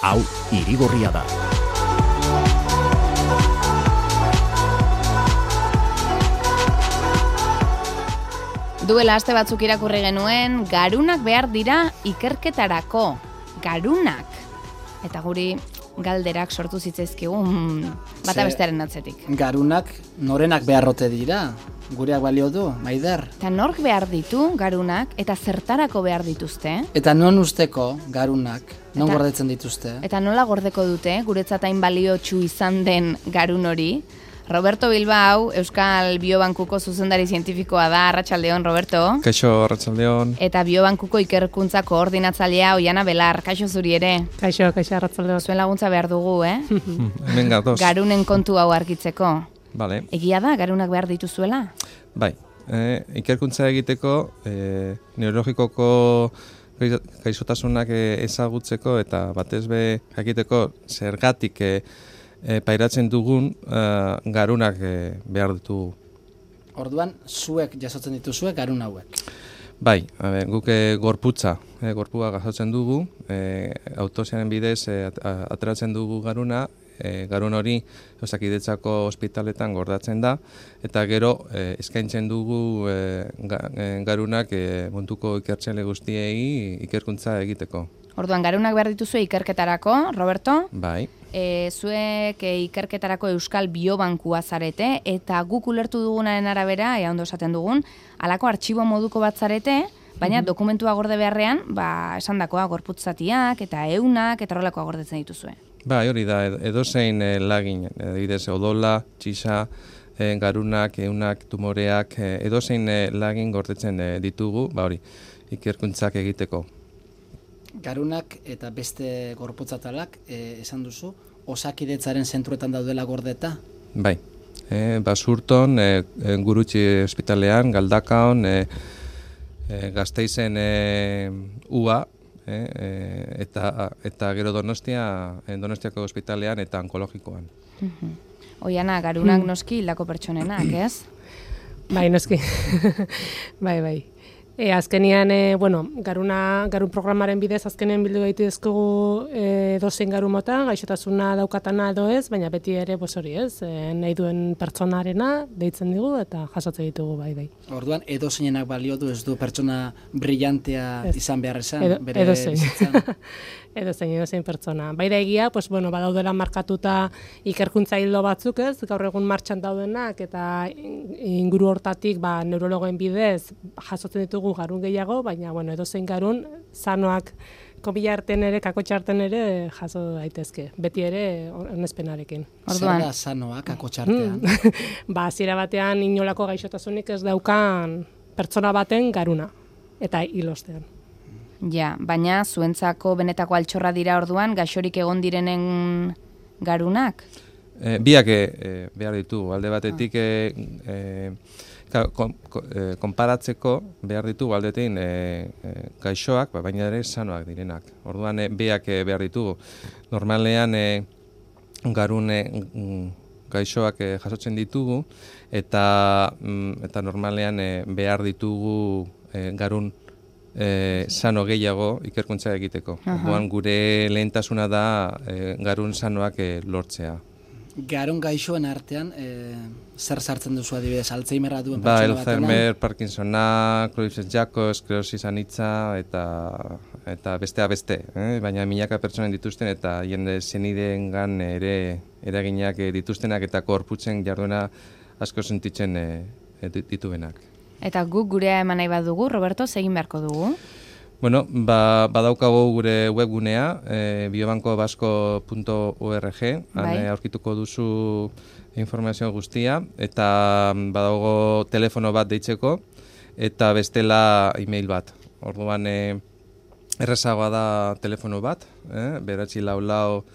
Hau Irigorria da. Duela aste batzuk irakurri genuen, garunak behar dira ikerketarako. Garunak. Eta guri galderak sortu zitzaizkigun bata bestearen atzetik. Garunak norenak beharrote dira? Gureak balio du, Maider? Eta nork behar ditu garunak eta zertarako behar dituzte? Eta non usteko garunak? Non gordetzen dituzte? Eta nola gordeko dute, guretzat hain baliotsu izan den garun hori? Roberto Bilbao, Euskal Biobankuko zuzendari zientifikoa da. Arratsaldeon, Roberto. Kaixo, arratsaldeon. Eta Biobankuko ikerkuntza koordinatzailea Oiana Belar. Kaixo zuri ere. Kaixo, arratsaldeon. Zuen laguntza behar dugu, Hemen gatoz. Garunen kontu hau argitzeko. Vale. Egia da, garunak behar dituzuela? Bai, ikerkuntza egiteko, neurologikoko gaixotasunak ezagutzeko eta batez be jakiteko zergatik pairatzen dugun garunak behar ditugu. Orduan, zuek jasotzen dituzue garun hauek? Bai, guk gorputza jasotzen dugu, autopsiaren bidez ateratzen dugu garuna, garun hori Osakidetzako ospitaletan gordatzen da, eta gero eskaintzen dugu garunak munduko ikertzaile guztiei ikerkuntza egiteko. Orduan, garunak behar dituzue ikerketarako, Roberto? Bai. Zuek ikerketarako Euskal Biobankua zarete, eta guk ulertu dugunaren arabera, ea ondo esaten dugun, halako artxibo moduko bat zarete, baina dokumentua gorde beharrean, esandakoa gorputzatiak eta eunak eta horrelakoa gordetzen dituzue. Bai, hori da, edozein lagin, adibidez odola, txisa, garunak, eunak, tumoreak, edozein lagin gordetzen ditugu, hori, ikerkuntzak egiteko. Garunak eta beste gorputzatalak, esan duzu, Osakidetzaren zentruetan daudela gordeta? Bai, Basurton, Gurutxi ospitalean, Galdakaon, Gasteizen UA, eta gero Donostiako ospitalean eta onkologikoan. Oiana, garunak noski hildako pertsonenak, ez? Bai, noski. bai. Azkenean, garun programaren bidez azkenean bildu daitezkegu dozein garu mota, gaixotasuna daukatana edo ez, baina beti ere hori ez, nahi duen pertsonarena deitzen digu eta jasotzen ditugu bai. Orduan, edozeinak balio du, ez du pertsona brillantea izan behar esan? Edozein pertsona. Bai da egia, badaudela markatuta ikerkuntza hildo batzuk ez, gaur egun martxan daudenak eta inguru hortatik neurologoen bidez jasotzen ditugu garun gehiago, baina edozein garun sanoak kopilarten ere, kakotxarten ere jaso daitezke. Beti ere onespenarekin. Zer da sanoa kakotxartean? Hasiera batean inolako gaixotasunik ez daukan pertsona baten garuna eta hilostean. Ja, baina zuentzako benetako altxorra dira orduan, gaixorik egon direnen garunak? Biak behar ditugu, alde batetik konparatzeko behar ditugu aldetein gaixoak, baina ere sanoak direnak. Orduan biak behar ditugu. Normalean garun gaixoak jasotzen ditugu eta normalean behar ditugu garun sano gehiago ikerkuntza egiteko. Orduan gure lehentasuna da garun sanoak lortzea. Garun gaixoen artean, zer sartzen duzu adibidez, Alzheimerra duen pertsona batena? Alzheimer, Parkinsona, Creutzfeldt-Jakob, esklerosis anitza eta bestea beste. Baina milaka pertsonen dituzten eta jende senideengan ere eraginak dituztenak eta korputzen jarduena asko sentitzen dituenak. Eta guk gurea eman nahi badugu, Roberto, egin beharko dugu? Bueno, badaukagu gure webgunea, biobankobasko.org, aurkituko duzu informazio guztia, eta badago telefono bat deitzeko, eta bestela e-mail bat. Orduan, errezagoa da telefono bat, beratzi lau,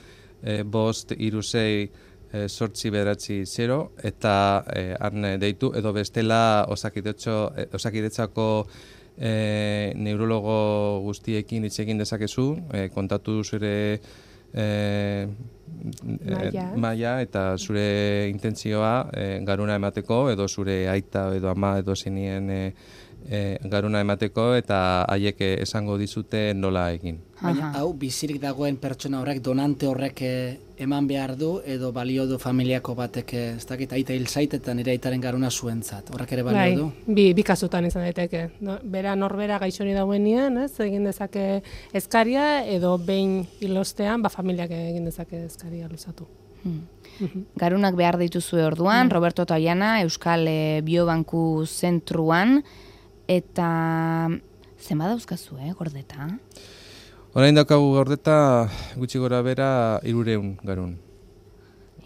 bost, irusei, sortzi beratzi 0, eta han deitu, edo bestela Osakidetzako neurologo guztiekin hitz egin dezakezu, kontatu zure maila eta zure intentzioa garuna emateko, edo zure aita edo ama edo zenien garuna emateko eta haiek esango dizute nola egin. Baina hau bizirik dagoen pertsona horrek, donante horrek eman behar du, edo balio du familiako batek, ez dakit, aita hil zait eta nire aitaren garuna zuentzat. Horrek ere balio du? Bi kasutan izan daiteke. Bera norbera gaixori dagoenean, egin dezake eskaria, edo behin hilostean, familiak egin dezake eskaria luzatu. Garunak behar dituzue orduan, Roberto eta Oiana, Euskal Biobanku Zentruan, eta zenbat dauzkazu, gordeta? Orain daukagu gordeta gutxi gora bera 300 garun.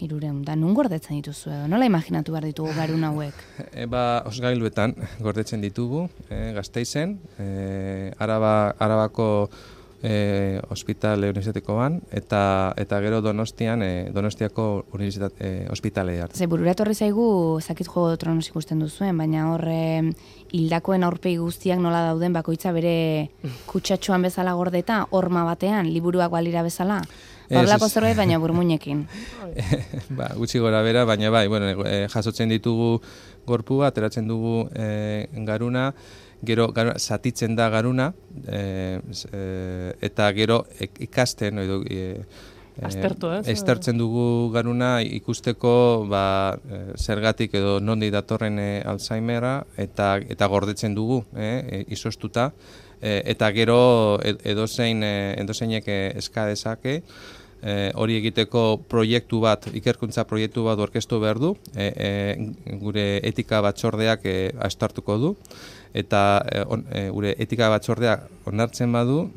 300, da nun gordetzen dituzu edo? Nola imaginatu behar ditugu garun hauek? Osgailuetan gordetzen ditugu, Gasteizen, Arabako ospitale unibertsitatekoan eta gero Donostian, Donostiako unibertsitate ospitalea. Ze burura etorri zaigu zakit Juego de Tronos ikusten duzuen, baina hor hildakoen aurpegi guztiak nola dauden bakoitza bere kutsatxoan bezala gordeta, horma batean, liburuak balira bezala. Horlako zerbait, baina burmuinekin. Gutxi gora bera, baina bai, jasotzen ditugu gorpua, ateratzen dugu garuna, gero zatitzen da garuna, eta gero ikasten, aztertzen dugu garuna ikusteko zergatik edo nondi datorren Alzheimera eta gordetzen dugu, izoztuta, eta gero edozeinek eska dezake, hori egiteko proiektu bat, ikerkuntza proiektu bat orkestu behar du, gure etika batzordeak aztertuko du, eta gure etika batzordeak onartzen badu,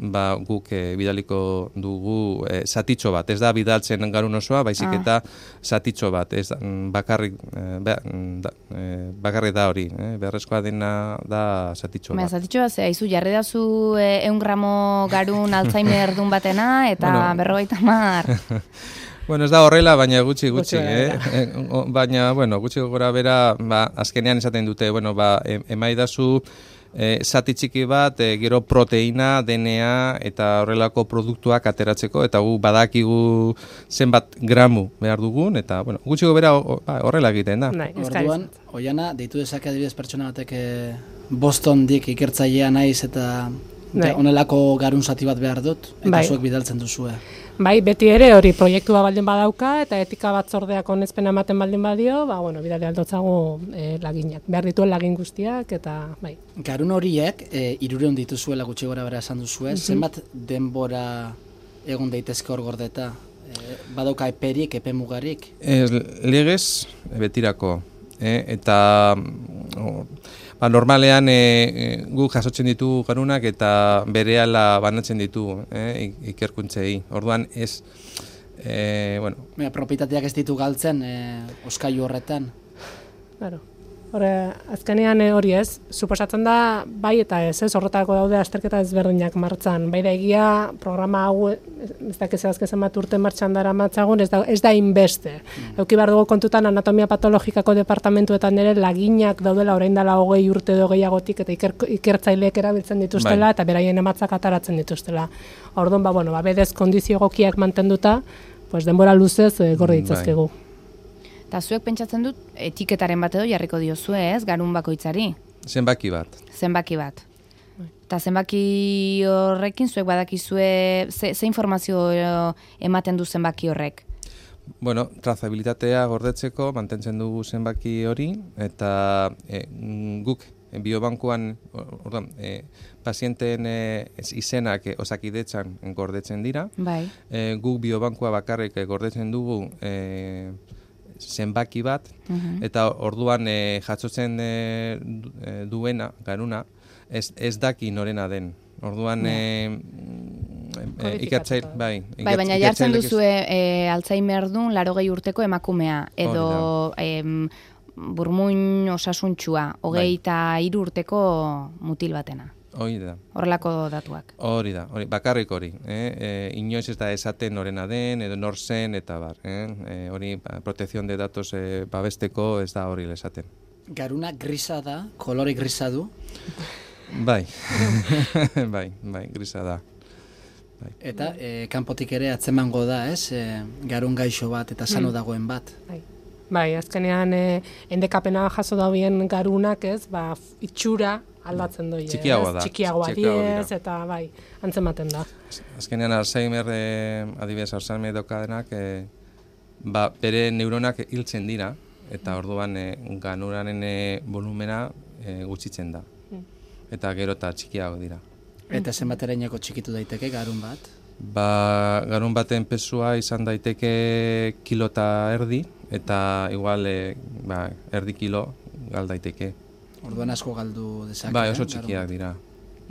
guk bidaliko dugu zatitxo bat. Ez da bidaltzen garun osoa, baizik eta zatitxo bat. Ez bakarrik da hori. Beharrezkoa dena da zatitxo bat. Zatitxo bat, haizu jarri dazu 100 gramo garun Alzheimer dun batena, eta 50. Ez da horrela, baina gutxi. Baina, gutxi gora bera, azkenean esaten dute, emaidazu zati txiki bat, gero proteina, DNA eta horrelako produktuak ateratzeko, eta gu badakigu zenbat gramu behar dugun, eta gutxi gora horrela egiten da. Orduan, Oiana, deitu dezake adibidez pertsona batek Bostondik ikertzailea naiz eta honelako garun zati bat behar dut, eta zuek bidaltzen duzue. Bai, beti ere hori proiektua baldin badauka eta etika batzordeak onespena ematen baldin badio, bidali aldotzago laginak. Behar dituen lagin guztiak eta bai. Garun horiek 300 dituzuela gutxi gora bera esan duzue, zenbat denbora egon daitezke hor gordeta? Badauka eperik, epe mugarik? Legez betirako, eta normalean guk jasotzen ditugu garunak eta berehala banatzen ditugu ikerkuntzei. Orduan ez, propietateak ez ditu galtzen oskailu horretan? Claro. Azkenean hori ez, suposatzen da bai eta ez, horretako daude azterketa ezberdinak martxan. Bai da egia programa hau, ez dakiz azken bat urte martxan dara matzagun, ez da inbeste. Euki behar dugu kontutan anatomia patologikako departamentuetan ere laginak daudela orain dela 20 urte edo gehiagotik eta ikertzaileek erabiltzen dituztela eta beraien ematzak ataratzen dituztela. Orduan, bedez kondizio egokiak mantenduta, denbora luzez gorde ditzazkegu. Eta zuek pentsatzen dut, etiketaren bat edo jarriko diozue, ez, garun bakoitzari? Zenbaki bat. Eta zenbaki horrekin zuek badakizue, ze informazio ematen du zenbaki horrek? Trazabilitatea gordetzeko mantentzen dugu zenbaki hori, eta guk biobankuan, pazienteen izenak Osakidetzan gordetzen dira. Guk biobankua bakarrik gordetzen dugu zenbaki bat, eta orduan jasotzen duena, garuna, ez daki norena den. Orduan ikertzaile, baina jartzen duzue Alzheimer dun 80 urteko emakumea, edo burmuin osasuntxua, 23 urteko mutil batena. Hori da. Horrelako datuak. Hori da, bakarrik hori. Inoiz ez da esaten norena den, edo nor zen, eta bar. Hori, protekzion de datos babesteko ez da hori esaten. Garuna grisa da, kolore grisa du? Bai, grisa da. Eta kanpotik ere atzemango da, ez? Garun gaixo bat eta sano dagoen bat. Bai, azkenean endekapena jaso dauen garunak, ez? Itxura aldatzen doi, Txikiagoa da. Txikiagoa diez, eta bai, antzematen da. Azkenean Alzheimer, adibidez Alzheimer daukadenak, bere neuronak hiltzen dira, eta orduan ganuraren volumena gutxitzen da. Eta gero eta txikiago dira. Eta zenbaterainoko txikitu daiteke garun bat? Garun baten pesua izan daiteke kilo eta erdi, eta igual erdi kilo gal daiteke. Orduan asko galdu dezake. Bai, oso txikiak dira.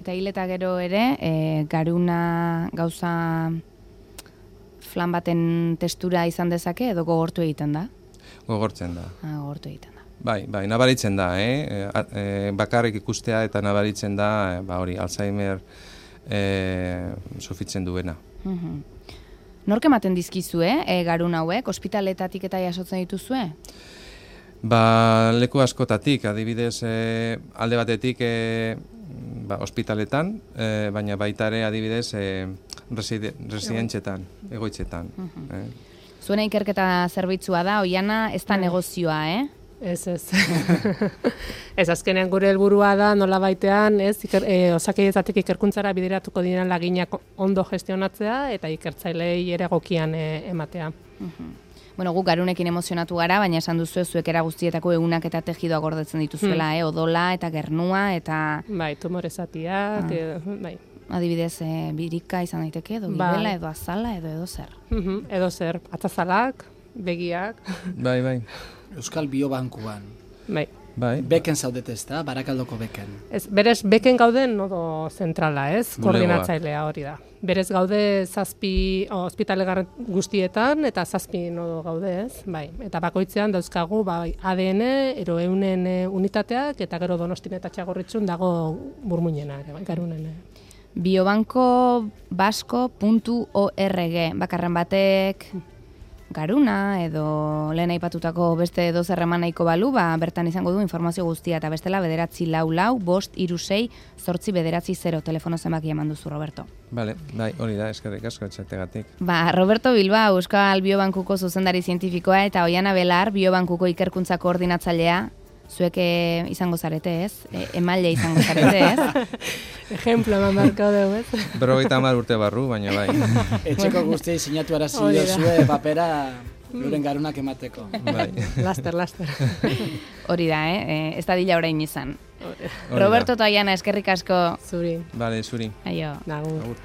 Eta hil eta gero ere, garuna gauza flan baten testura izan dezake edo gogortu egiten da? Gogortzen da. Gogortu egiten da. Bai, nabaritzen da, bakarrik ikustea eta nabaritzen da, hori, Alzheimer sofitzen duena. Nork ematen dizkizue, garun hauek, ospitaletatik eta jasotzen dituzue? Leku askotatik, adibidez, alde batetik ospitaletan, baina baita ere adibidez residentzetan, egoitzetan. Zuena ikerketa zerbitzua da, Oiana, ez da negozioa, Ez. Ez azkenean gure helburua da nola baitean, osakidezatik ikerkuntzara bideratuko diren laginak ondo gestionatzea eta ikertzailei ere egokian ematea. Bueno, guk garunekin emozionatu gara, baina esan duzu zuek era guztietako egunak eta tejidoa gordetzen dituzuela, odola eta gernua eta... Bai, tumorezatiak, bai. Adibidez, birika izan daiteke, edo gibela, edo azala, edo zer. Edo zer, atzazalak, begiak. Bai. Euskal Biobankuan. Bai. Beken zaudete ez da, Barakaldoko beken. Berez, beken gauden nodo zentrala, ez? Koordinatzailea hori da. Berez gaude 7 ospitale guztietan eta 7 nodo gaude, ez? Bai. Eta bakoitzean dauzkagu ADN, eroeunen unitateak eta gero Donostin eta Txagorritxun dago Burmuinena, garunen. Biobankobasko.org, bakarren batek garuna edo lehen aipatutako beste edozer eman nahiko balu, bertan izango du informazio guztia eta bestela 944-536-890 telefono zenbaki eman duzu, Roberto. Bai, hori da, eskerrik asko etxategatik. Roberto Bilbao, Euskal Biobankuko zuzendari zientifikoa eta Oiana Belar, Biobankuko ikerkuntza koordinatzailea, zuek izango zarete, ez? Emaile izango zarete, ez? Ejemplo eman barko dugu, ez? 50 urte barru, baina bai. Etxeko guztiei sinatu arazio zue papera euren garunak emateko. Bai. Laster. Hori da, ez da dila orain izan. Roberto eta Oiana, eskerrik asko. Zuri. Bale, zuri. Aio. Nagur.